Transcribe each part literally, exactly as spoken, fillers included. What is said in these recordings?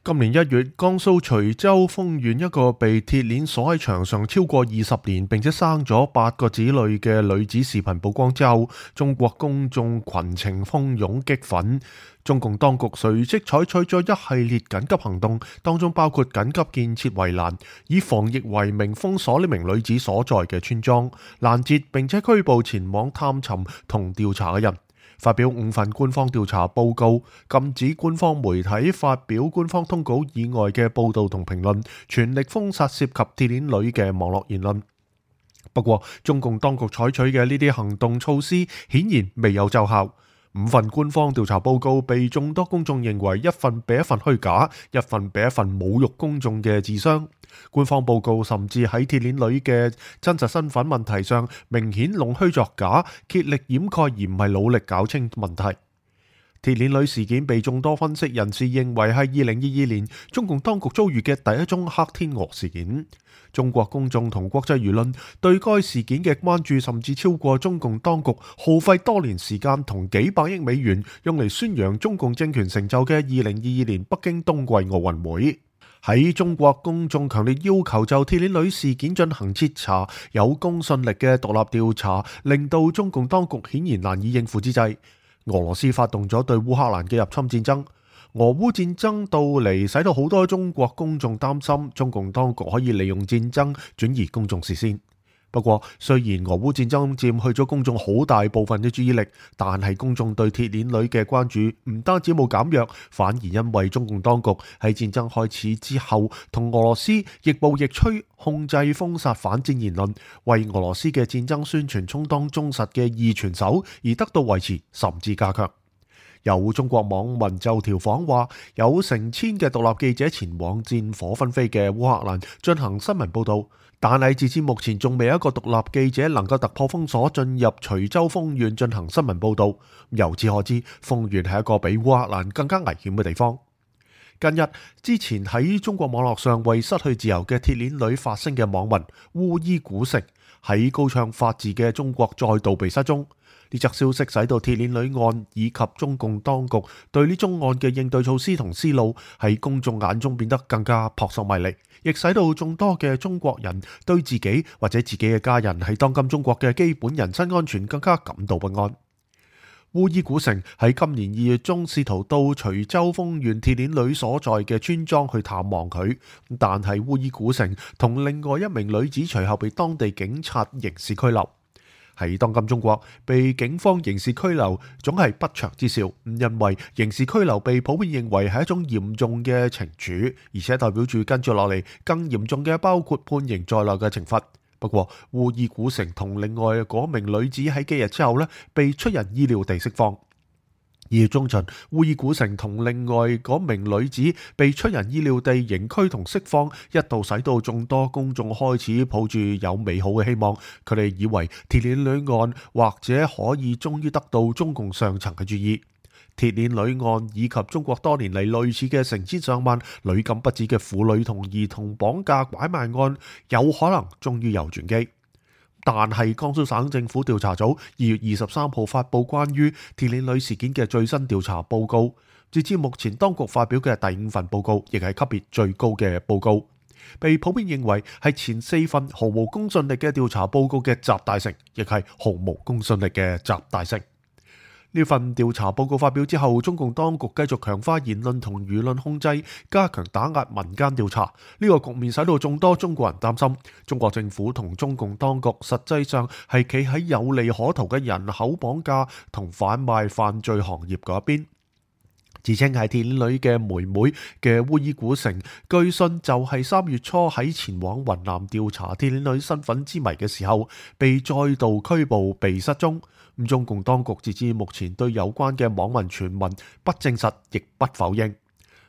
今年一月，江蘇徐州豐縣一個被鐵鏈鎖喺牆上超過二十年，並且生咗八個子女嘅女子視頻曝光之後，中國公眾群情洶湧激憤。中共當局隨即採取咗一系列緊急行動，當中包括緊急建設圍欄，以防疫為名封鎖呢名女子所在嘅村莊，攔截並且拘捕前往探尋同調查嘅人。發表五份官方調查報告，禁止官方媒體發表官方通稿以外嘅報導同評論，全力封殺涉及鐵鏈女嘅網絡言論。不過，中共當局採取嘅呢啲行動措施顯然未有奏效。五份官方調查報告被眾多公眾認為一份比一份虛假，一份比一份侮辱公眾嘅智商。官方報告甚至喺鐵鏈女嘅真實身份問題上明顯弄虛作假，竭力掩蓋而唔係努力搞清問題。鐵鏈女事件被眾多分析人士認為係二零二二年中共當局遭遇嘅第一宗黑天鵝事件。中國公眾同國際輿論對該事件嘅關注甚至超過中共當局耗費多年時間同幾百億美元用嚟宣揚中共政權成就嘅二零二二年北京冬季奧運會。喺中國公眾強烈要求就鐵鏈女事件進行徹查、有公信力嘅獨立調查，令到中共當局顯然難以應付之際，俄羅斯發動咗對烏克蘭嘅入侵戰爭。俄烏戰爭到嚟，使到好多中國公眾擔心中共當局可以利用戰爭轉移公眾視線。不過，雖然俄烏戰爭佔去咗公眾好大部分嘅注意力，但係公眾對鐵鏈女嘅關注唔單止冇減弱，反而因為中共當局喺戰爭開始之後同俄羅斯亦步亦趨，控制封殺反戰言論，為俄羅斯嘅戰爭宣傳充當忠實嘅二傳手，而得到維持甚至加強。有中國網民就調侃話，有成千嘅獨立記者前往戰火紛飛嘅烏克蘭進行新聞報導，但係截至目前仲未有一個獨立記者能夠突破封鎖進入徐州豐縣進行新聞報導。由此可知，豐縣係一個比烏克蘭更加危險嘅地方。近日之前喺中國網絡上為失去自由嘅鐵鏈女發聲嘅網民烏伊古城，喺高唱法治嘅中國再度被失蹤。呢則消息使到鐵鏈女案以及中共當局對呢宗案嘅應對措施同思路喺公眾眼中變得更加撲朔迷離，亦使到眾多嘅中國人對自己或者自己嘅家人喺當今中國嘅基本人身安全更加感到不安。烏伊古城喺今年二月中試圖到徐州豐縣鐵鏈女所在嘅村莊去探望佢，但係烏伊古城同另外一名女子隨後被當地警察刑事拘留。喺當今中國，被警方刑事拘留總係不祥之兆，因為刑事拘留被普遍認為係一種嚴重嘅懲處，而且代表住跟住落嚟更嚴重嘅包括判刑在內嘅懲罰。不過，烏伊古城同另外嗰名女子喺幾日之後呢，被出人意料地釋放。二月中旬，烏伊古城同另外嗰名女子被出人意料地刑拘同釋放，一度使到眾多公眾開始抱住有美好嘅希望，佢哋以為鐵鏈女案或者可以終於得到中共上層嘅注意。鐵鏈女案以及中國多年嚟類似嘅成千上萬屢禁不止嘅婦女同兒童綁架拐賣案，有可能終於有轉機。但係江蘇省政府調查組二月二十三號發布關於鐵鏈女事件嘅最新調查報告，截至目前當局發表嘅第五份報告，亦係級別最高嘅報告，被普遍認為係前四份毫無公信力嘅調查報告嘅集大成，亦係毫無公信力嘅集大成。呢份調查報告發表之後，中共當局繼續強化言論同輿論控制，加強打壓民間調查。呢個局面使到眾多中國人擔心，中國政府同中共當局實際上係企喺有利可圖嘅人口綁架同販賣犯罪行業嗰一邊。自稱係鐵鏈女嘅妹妹嘅烏伊古城，據信就係三月初喺前往雲南調查鐵鏈女身份之謎嘅時候，被再度拘捕被失蹤。中共當局截至目前對有關嘅網民傳聞不證實亦不否認。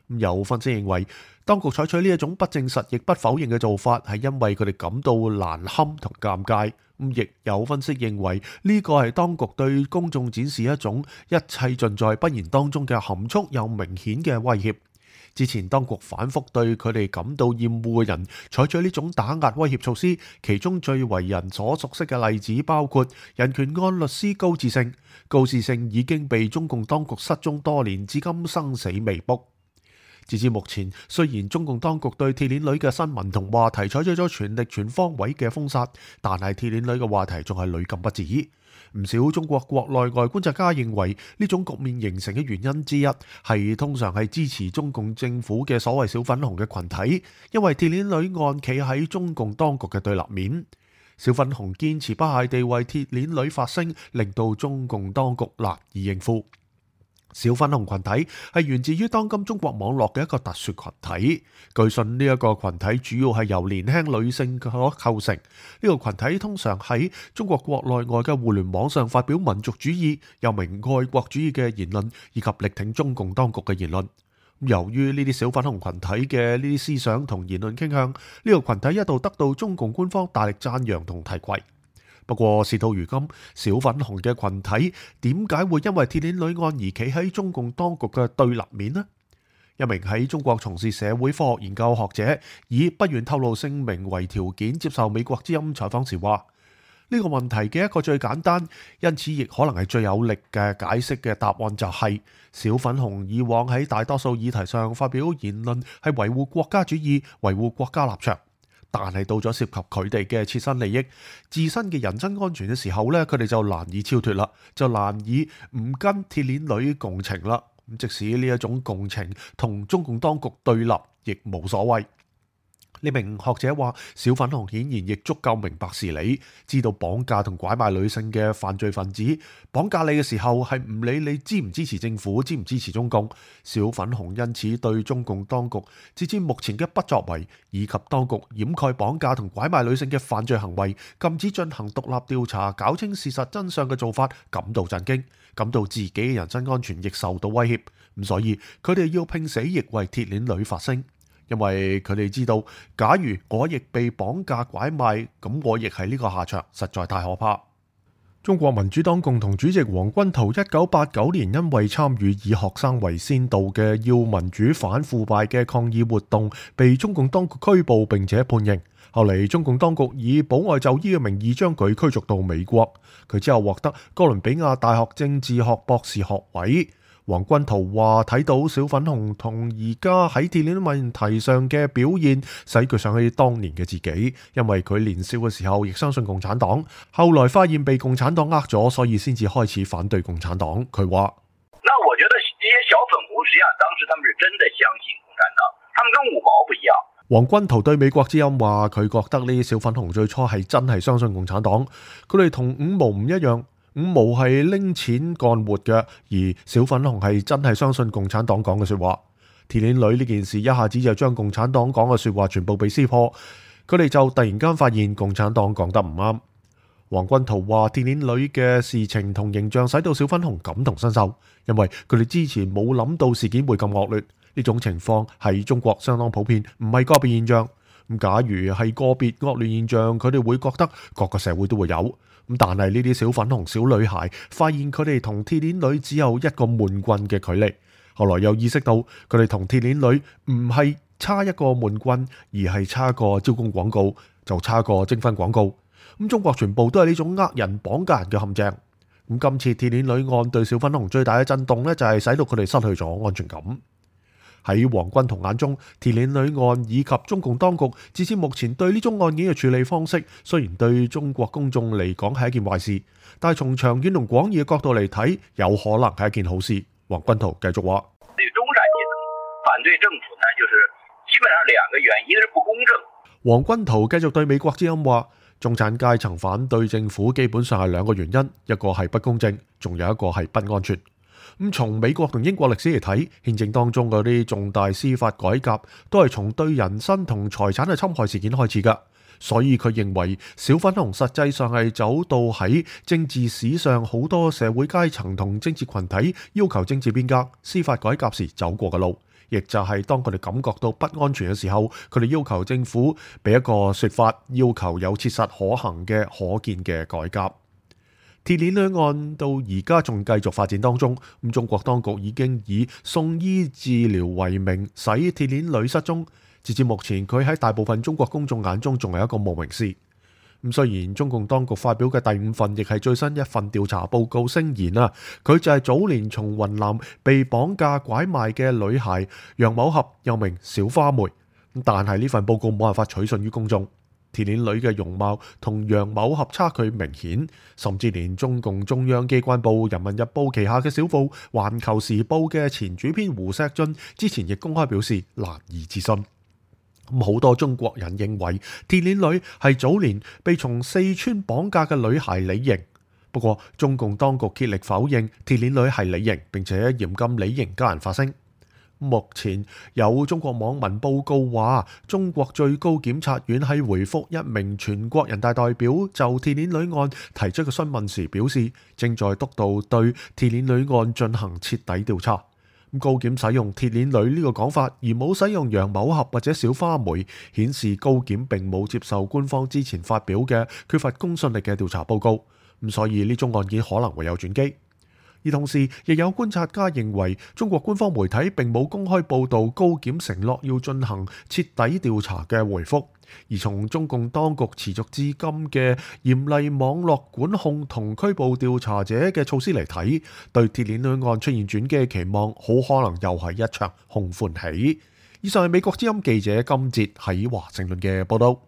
有分析認為，當局採取呢一種不證實亦不否認嘅做法，係因為佢哋感到難堪同尷尬。咁亦有分析認為，呢個係當局對公眾展示一種一切盡在不言當中嘅含蓄又明顯嘅威脅。之前當局反覆對佢哋感到厭惡嘅人採取呢種打壓威脅措施，其中最為人所熟悉嘅例子包括人權案律師高志勝。高志勝已經被中共當局失蹤多年，至今生死未卜。截至目前，雖然中共當局對鐵鏈女嘅新聞同話題採取咗全力全方位嘅封殺，但係鐵鏈女嘅話題仲係屢禁不止。唔少中國國內外觀察家認為，呢種局面形成嘅原因之一係通常係支持中共政府嘅所謂小粉紅嘅群體，因為鐵鏈女案企喺中共當局嘅對立面。小粉紅堅持不懈地為鐵鏈女發聲，令到中共當局難以應付。小粉紅群體係源自於當今中國網絡嘅一個特殊群體，據信呢一個群體主要係由年輕女性所構成。呢個群體通常喺中國國內外嘅互聯網上發表民族主義、又名愛國主義嘅言論，以及力挺中共當局嘅言論。由於呢啲小粉紅群體嘅呢啲思想同言論傾向，呢、這個群體一度得到中共官方大力讚揚同提攜。不過事到如今，小粉紅嘅群體點解會因為鐵鏈女案而企喺中共當局嘅對立面呢？一名喺中國從事社會科學研究學者以不願透露姓名為條件接受美國之音採訪時話：呢、這個問題嘅一個最簡單，因此亦可能係最有力嘅解釋嘅答案就係、是、小粉紅以往喺大多數議題上發表言論係維護國家主義、維護國家立場。但係到咗涉及佢哋嘅切身利益、自身嘅人身安全嘅時候呢，佢哋就難以超脫啦，就難以唔跟鐵鏈女共情啦。即使呢一種共情同中共當局對立，亦無所謂。呢名學者話：小粉紅顯然亦足夠明白事理，知道綁架同拐賣女性嘅犯罪分子綁架你嘅時候係唔理你支唔支持政府、支唔支持中共。小粉紅因此對中共當局截至目前嘅不作為，以及當局掩蓋綁架同拐賣女性嘅犯罪行為、禁止進行獨立調查、搞清事實真相嘅做法感到震驚，感到自己嘅人身安全亦受到威脅。咁所以佢哋要拼死亦為鐵鏈女發聲。因為佢哋知道，假如我亦被綁架拐賣，咁我亦係呢個下場，實在太可怕。中國民主黨共同主席黃君濤一九八九年因為參與以學生為先導嘅要民主反腐敗嘅抗議活動，被中共當局拘捕並且判刑。後嚟中共當局以保外就醫嘅名義將佢驅逐到美國，佢之後獲得哥倫比亞大學政治學博士學位。黃君濤話：睇到小粉紅同而家喺鐵鏈問題上嘅表現，使佢想起當年嘅自己，因為佢年少嘅時候亦相信共產黨，後來發現被共產黨呃咗，所以先至開始反對共產黨。佢話：那我覺得這些小粉紅實際上當時他們是真的相信共產黨，他們跟五毛不一樣。黃君濤對美國之音話：佢覺得呢啲小粉紅最初係真係相信共產黨，佢哋同五毛唔一樣。五毛係拎錢幹活嘅，而小粉紅係真係相信共產黨講嘅說話。鐵鏈女呢件事一下子就將共產黨講嘅說話全部被撕破，佢哋就突然間發現共產黨講得唔啱。黃君濤話：鐵鏈女嘅事情同形象使到小粉紅感同身受，因為佢哋之前冇諗到事件會咁惡劣。呢種情況喺中國相當普遍，唔係個別現象。咁假如係個別惡劣現象，佢哋會覺得各個社會都會有。咁但係呢啲小粉紅小女孩發現佢哋同鐵鏈女只有一個悶棍嘅距離，後來又意識到佢哋同鐵鏈女唔係差一個悶棍，而係差個招工廣告，就差個徵婚廣告。咁中國全部都係呢種呃人綁架人嘅陷阱。咁今次鐵鏈女案對小粉紅最大嘅震動呢，就係使到佢哋失去咗安全感。喺黃君濤眼中，鐵鏈女案以及中共當局至至目前對呢宗案件嘅處理方式，雖然對中國公眾嚟講係一件壞事，但係從長遠同廣義嘅角度嚟睇，有可能係一件好事。黃君濤繼續話：對中產階層反對政府呢，就是基本上兩個原因，一個是不公正。黃君濤繼續對美國之音話：中產階層反對政府基本上係兩個原因，一個係不公正，仲有一個係不安全。咁從美國同英國歷史嚟睇，憲政當中嗰啲重大司法改革都係從對人身同財產嘅侵害事件開始㗎，所以佢認為小粉紅實際上係走到喺政治史上好多社會階層同政治群體要求政治變革、司法改革時走過嘅路，亦就係當佢哋感覺到不安全嘅時候，佢哋要求政府俾一個說法，要求有切實可行嘅可見嘅改革。鐵鏈女案到而家仲繼續發展當中，咁中國當局已經以送醫治療為名使鐵鏈女失蹤，截至目前佢喺大部分中國公眾眼中仲係一個無名氏。咁雖然中共當局發表嘅第五份亦係最新一份調查報告聲言啊，佢就係早年從雲南被綁架拐賣嘅女孩楊某合，又名小花梅。但係呢份報告冇辦法取信於公眾。鐵鏈女嘅容貌同楊某合差距明顯，甚至連中共中央機關報《人民日報》旗下嘅小報《環球時報》嘅前主編胡錫進之前亦公開表示難以置信。好多中國人認為鐵鏈女係早年被從四川綁架嘅女孩李瑩，不過中共當局竭力否認鐵鏈女係李瑩，並且嚴禁李瑩家人發聲。目前有中國網民報告話，中國最高檢察院喺回覆一名全國人大代表就鐵鏈女案提出嘅詢問時表示，正在督導對鐵鏈女案進行徹底調查。高檢使用鐵鏈女呢個講法，而冇使用楊某合或者小花梅，顯示高檢並冇接受官方之前發表嘅缺乏公信力嘅調查報告。咁所以呢宗案件可能會有轉機。而同時，亦有觀察家認為，中國官方媒體並冇公開報導高檢承諾要進行徹底調查嘅回覆。而從中共當局持續至今嘅嚴厲網絡管控同拘捕調查者嘅措施嚟睇，對鐵鏈女案出現轉機嘅期望，好可能又係一場空歡喜。以上係美國之音記者金哲喺華盛頓嘅報導。